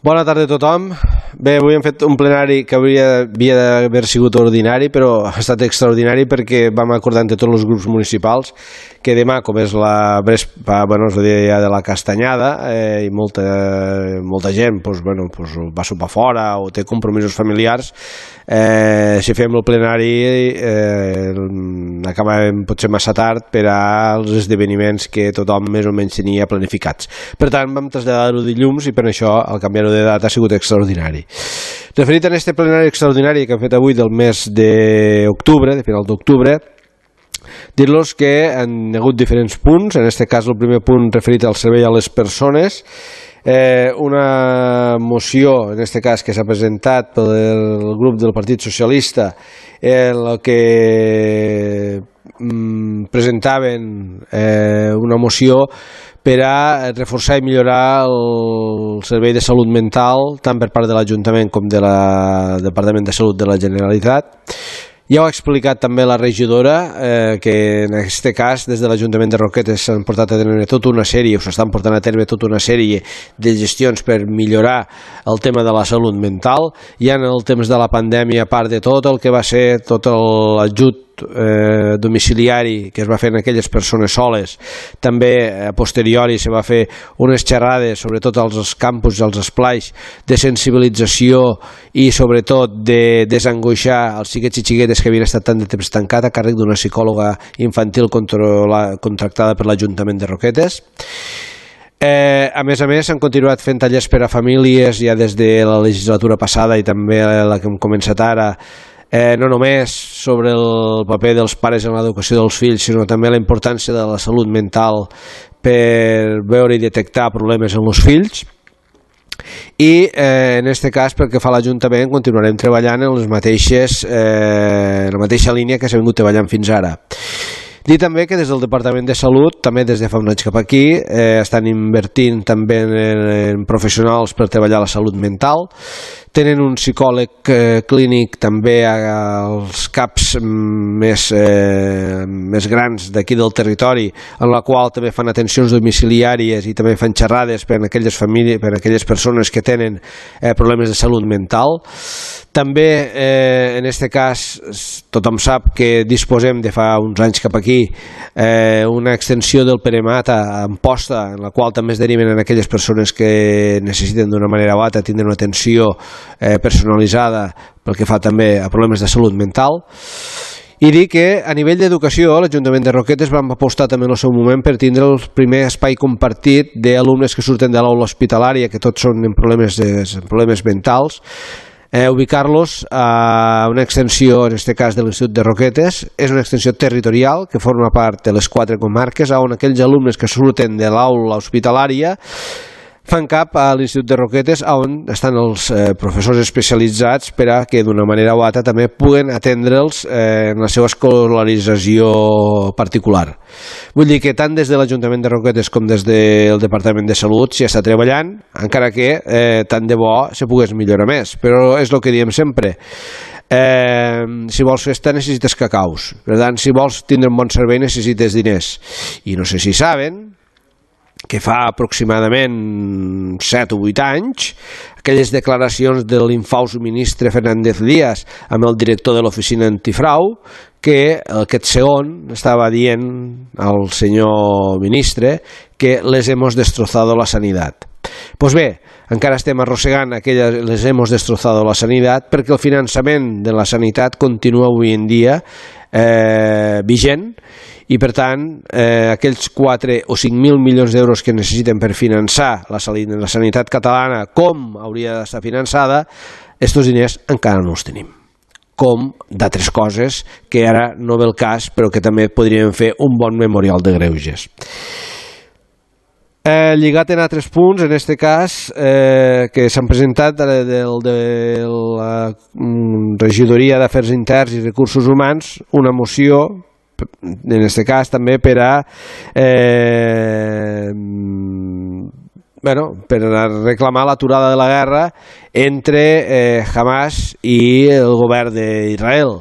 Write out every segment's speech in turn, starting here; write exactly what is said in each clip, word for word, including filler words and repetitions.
Bona tarda a tothom. Bé, avui hem fet un plenari que hauria, havia d'haver sigut ordinari, però ha estat extraordinari perquè vam acordar entre tots els grups municipals que demà, com és la Vespa, bueno, és el dia de la Castanyada, eh, i molta, molta gent pues, bueno, pues, va sopar fora o té compromisos familiars, eh, si fem el plenari eh, acabem potser massa tard per als esdeveniments que tothom més o menys tenia planificats. Per tant, vam traslladar-ho dilluns i per això el canviar-ho de data ha sigut extraordinari. Referit a aquest plenari extraordinari que hem fet avui del mes d'octubre, de final d'octubre, dir-los que han hagut diferents punts. En aquest cas el primer punt referit al servei a les persones, eh, una moció en aquest cas que s'ha presentat pel grup del Partit Socialista, en el que mm, presentaven eh, una moció per a reforçar i millorar el servei de salut mental tant per part de l'Ajuntament com del Departament de Salut de la Generalitat. Ja ho ha explicat també la regidora, eh, que en aquest cas des de l'Ajuntament de Roquetes s'han portat a terme tota una sèrie, o s'estan portant a terme tota una sèrie de gestions per millorar el tema de la salut mental. Ja en el temps de la pandèmia, a part de tot el que va ser tot l'ajut eh, domiciliari que es va fer en aquelles persones soles, també a posteriori se va fer unes xerrades sobretot als campus i als esplais de sensibilització i sobretot de desangoixar els xiquets i xiquetes que havien estat tant de temps tancat a càrrec d'una psicòloga infantil contractada per l'Ajuntament de Roquetes. Eh, a més a més s'han continuat fent tallers per a famílies ja des de la legislatura passada i també la que hem començat ara, eh, no només sobre el paper dels pares en l'educació dels fills, sinó també la importància de la salut mental per veure i detectar problemes en els fills. I eh, en aquest cas, pel que fa a l'Ajuntament, continuarem treballant en les mateixes, eh, en la mateixa línia que s'ha vingut treballant fins ara. Dir també que des del Departament de Salut, també des de fa un any cap aquí, eh, estan invertint també en, en professionals per treballar la salut mental. Tenen un psicòleg eh, clínic també als caps més, eh, més grans d'aquí del territori, en la qual també fan atencions domiciliàries i també fan xerrades per a aquelles famílies, per a aquelles persones que tenen eh, problemes de salut mental. També, eh, en aquest cas, tothom sap que disposem de fa uns anys cap aquí eh, una extensió del Peremata a Amposta, en la qual també es deriven en aquelles persones que necessiten d'una manera o altra tindre una atenció eh, personalitzada pel que fa també a problemes de salut mental. I dir que a nivell d'educació l'Ajuntament de Roquetes vam apostar també en el seu moment per tindre el primer espai compartit d'alumnes que surten de l'aula hospitalària, que tots són en problemes, de, en problemes mentals, Eh, ubicar-los a una extensió, en aquest cas de l'Institut de Roquetes. És una extensió territorial que forma part de les quatre comarques, on aquells alumnes que surten de l'aula hospitalària fan cap a l'Institut de Roquetes, on estan els eh, professors especialitzats per a que d'una manera o altra també puguen atendre'ls eh, en la seva escolarització particular. Vull dir que tant des de l'Ajuntament de Roquetes com des del Departament de Salut s'hi està treballant, encara que eh, tant de bo se pogués millorar més, però és el que diem sempre. Eh, si vols festa necessites cacaus, per tant, si vols tindre un bon servei necessites diners. I no sé si saben que fa aproximadament set o vuit anys, aquelles declaracions de l'infaus ministre Fernández Díaz amb el director de l'oficina antifrau, que aquest segon estava dient al senyor ministre que les hemos destrozado la sanidad. Pues bé, encara estem arrossegant aquelles les hemos destrozado la sanidad perquè el finançament de la sanitat continua avui en dia eh, vigent. I per tant, eh, aquells quatre o cinc mil milions d'euros que necessiten per finançar la, la sanitat catalana com hauria d'estar finançada, aquests diners encara no els tenim. Com d'altres coses que ara no ve el cas, però que també podríem fer un bon memorial de greuges. Eh, lligat en altres punts, en aquest cas, eh, que s'han presentat de, de, de la Regidoria d'Afers Interns i Recursos Humans, una moció, en aquest cas també per a eh, bueno, per a reclamar l'aturada de la guerra entre eh, Hamas i el govern d'Israel.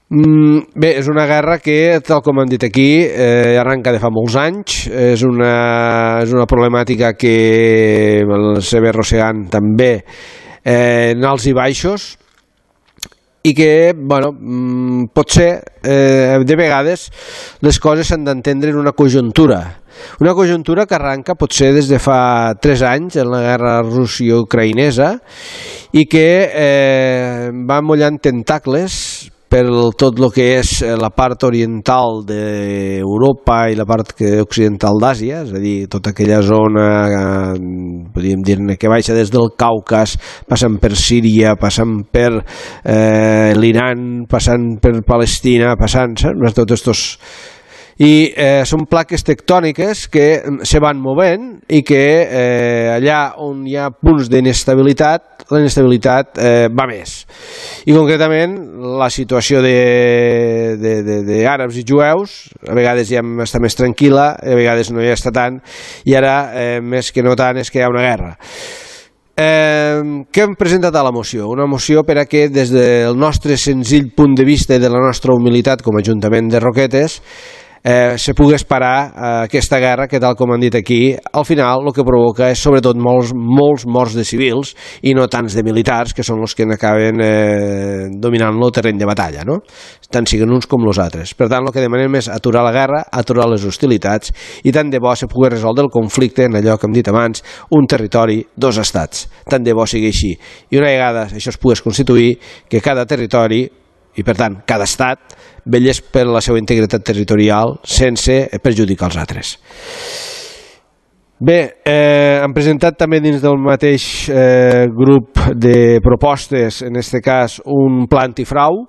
Bé, és una guerra que, tal com han dit aquí, eh, arrenca de fa molts anys. És una, és una problemàtica que el s'ha arrossegant també eh, en alts i baixos, i que, bueno, potser eh, de vegades les coses s'han d'entendre en una conjuntura. Una conjuntura que arranca potser des de fa tres anys en la guerra rússia-ucraïnesa i que eh, va mullant tentacles per tot el que és la part oriental d'Europa i la part occidental d'Àsia, és a dir, tota aquella zona, eh, podríem dir-ne, que baixa des del Caucas, passant per Síria, passant per eh, l'Iran, passant per Palestina, passant, saps? Tots estos... I eh, són plaques tectòniques que se van movent i que eh, allà on hi ha punts d'inestabilitat, la inestabilitat eh, va més. I concretament la situació d'àrabs i jueus a vegades ja està més tranquil·la, a vegades no hi està tant, i ara eh, més que no tant és que hi ha una guerra. Eh, què hem presentat a la moció? Una moció per a que des del nostre senzill punt de vista i de la nostra humilitat com a Ajuntament de Roquetes Eh, se pogués parar eh, aquesta guerra que, tal com han dit aquí, al final el que provoca és sobretot molts, molts morts de civils i no tants de militars, que són els que acaben eh, dominant el terreny de batalla, no? Tant siguen uns com els altres. Per tant, el que demanem és aturar la guerra, aturar les hostilitats, i tant de bo se pugui resoldre el conflicte en allò que hem dit abans, un territori, dos estats. Tant de bo sigui així. I una vegada això es pogués constituir, que cada territori, i per tant cada estat, vetllés per la seva integritat territorial sense perjudicar els altres. Bé, eh, han presentat també dins del mateix eh, grup de propostes, en aquest cas un pla antifrau,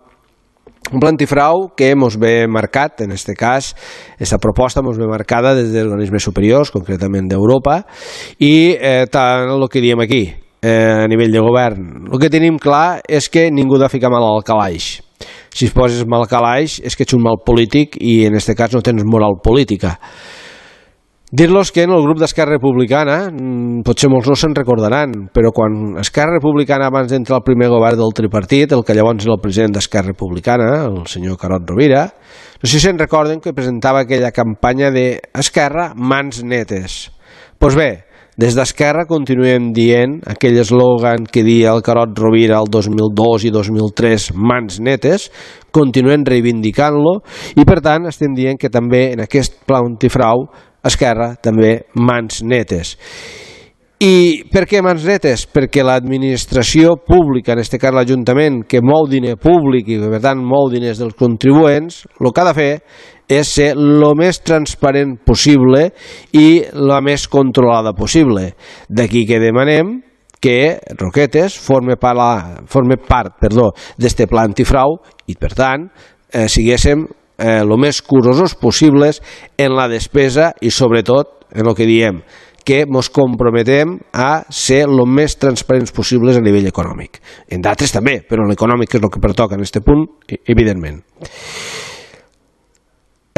un pla antifrau que mos ve marcat, en aquest cas, aquesta proposta mos ve marcada des dels organismes superiors, concretament d'Europa, i eh, tant el que diem aquí, eh, a nivell de govern. El que tenim clar és que ningú ha de ficar mal al calaix. Si es poses mal calaix és que ets un mal polític i en aquest cas no tens moral política. Dir-los que en el grup d'Esquerra Republicana, potser molts no se'n recordaran, però quan Esquerra Republicana, abans d'entrar al primer govern del tripartit, el que llavors era el president d'Esquerra Republicana, el senyor Carod Rovira, no sé si se'n recorden que presentava aquella campanya d'Esquerra, mans netes. Doncs bé, des d'Esquerra continuem dient aquell eslògan que dia el Carod Rovira el dos mil dos i dos mil tres, mans netes, continuem reivindicant-lo i per tant estem dient que també en aquest pla antifrau Esquerra també mans netes. I per què mans netes? Perquè l'administració pública, en aquest cas l'Ajuntament, que mou diner públic i per tant mou diners dels contribuents, el que ha de fer és ser el més transparent possible i la més controlada possible. D'aquí que demanem que Roquetes forme part, forme part perdó, d'este pla antifrau i, per tant, eh, siguéssim eh, el més curosos possibles en la despesa i, sobretot, en el que diem, que ens comprometem a ser el més transparents possibles a nivell econòmic. En d'altres també, però en l'econòmic és el que pertoca en aquest punt, evidentment.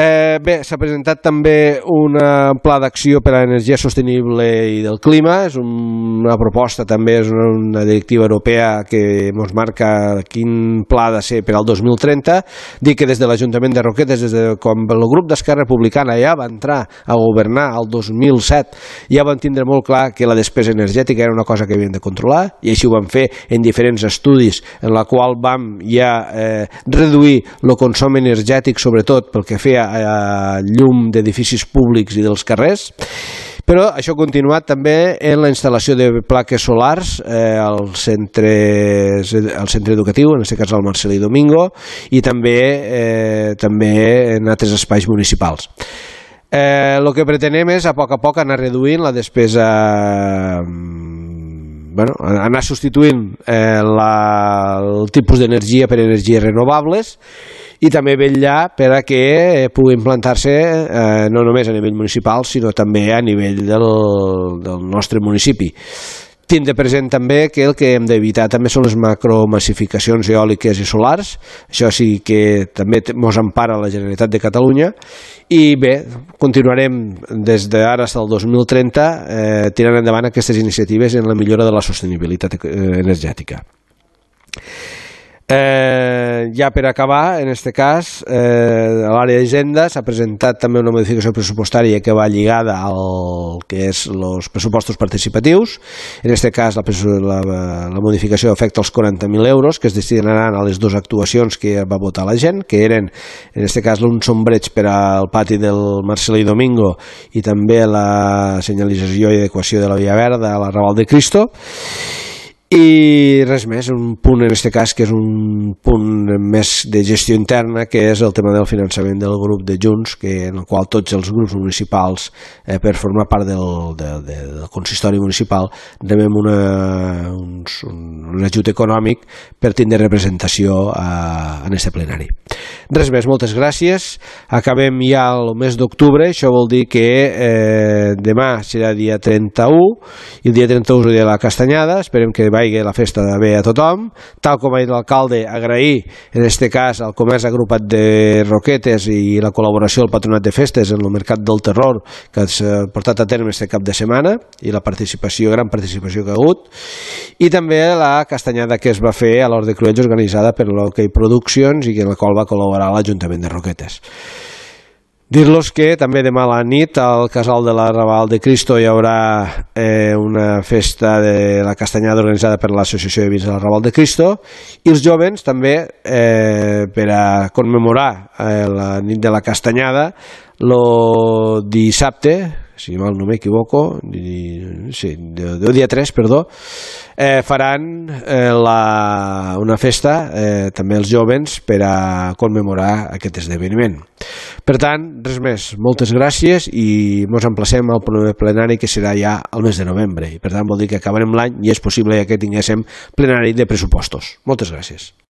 Eh, bé, s'ha presentat també un pla d'acció per a l'energia sostenible i del clima, és una proposta també, és una, una directiva europea que ens marca quin pla ha de ser per al dos mil trenta. Dic que des de l'Ajuntament de Roquetes, des de quan el grup d'Esquerra Republicana ja va entrar a governar el dos mil set, ja van tindre molt clar que la despesa energètica era una cosa que havien de controlar, i així ho vam fer en diferents estudis en la qual vam ja eh, reduir el consum energètic, sobretot pel que feia a llum d'edificis públics i dels carrers, però això ha continuat també en la instal·lació de plaques solars eh, al, centre, al centre educatiu, en aquest cas al Marcelí Domingo, i també, eh, també en altres espais municipals. Eh, el que pretenem és a poc a poc anar reduint la despesa, bueno, anar substituint eh, la, el tipus d'energia per energies renovables i també vetllar per a que pugui implantar-se eh, no només a nivell municipal sinó també a nivell del, del nostre municipi. Tindre present també que el que hem d'evitar també són les macromassificacions eòliques i solars, això sí que també ens empara la Generalitat de Catalunya, i bé, continuarem des d'ara fins al dos mil trenta eh, tirant endavant aquestes iniciatives en la millora de la sostenibilitat energètica. Eh, Eh, ja per acabar, en aquest cas, eh, a l'àrea d'Hisenda s'ha presentat també una modificació pressupostària que va lligada al que és els pressupostos participatius. En aquest cas, la, la, la modificació afecta els quaranta mil euros que es destinaran a les dues actuacions que va votar la gent, que eren, en aquest cas, un sombreig per al pati del Marcelí Domingo i també la senyalització i adequació de la Via Verda a la Raval de Cristo. I res més, un punt en aquest cas que és un punt més de gestió interna, que és el tema del finançament del grup de Junts, que, en el qual tots els grups municipals, eh, per formar part del, del, del consistori municipal, rebem una, un, un ajut econòmic per tindre representació a, en aquest plenari. Res més, moltes gràcies. Acabem ja el mes d'octubre, això vol dir que eh, demà serà dia trenta-u i el dia trenta-u és el dia de la Castanyada. Esperem que vagi la festa de bé a tothom. Tal com ha dit l'alcalde, agrair en aquest cas al comerç agrupat de Roquetes i la col·laboració del Patronat de Festes en el Mercat del Terror que s'ha portat a terme aquest cap de setmana i la participació, gran participació que ha hagut, i també la castanyada que es va fer a l'Hort de Cruells organitzada per l'Hockey Productions i en la qual va col·laborar l'Ajuntament de Roquetes. Dir-los que també demà a la nit al Casal de la Raval de Cristo hi haurà eh, una festa de la castanyada organitzada per l'Associació de Vins de la Raval de Cristo, i els jovens també eh, per a commemorar eh, la nit de la castanyada el dissabte, si mal no m'equivoco, sí, el dia tres, perdó, eh, faran eh, la, una festa, eh, també els jovens, per a commemorar aquest esdeveniment. Per tant, res més, moltes gràcies i ens emplacem al proper plenari que serà ja al mes de novembre. I per tant vol dir que acabarem l'any i és possible que tinguéssim plenari de pressupostos. Moltes gràcies.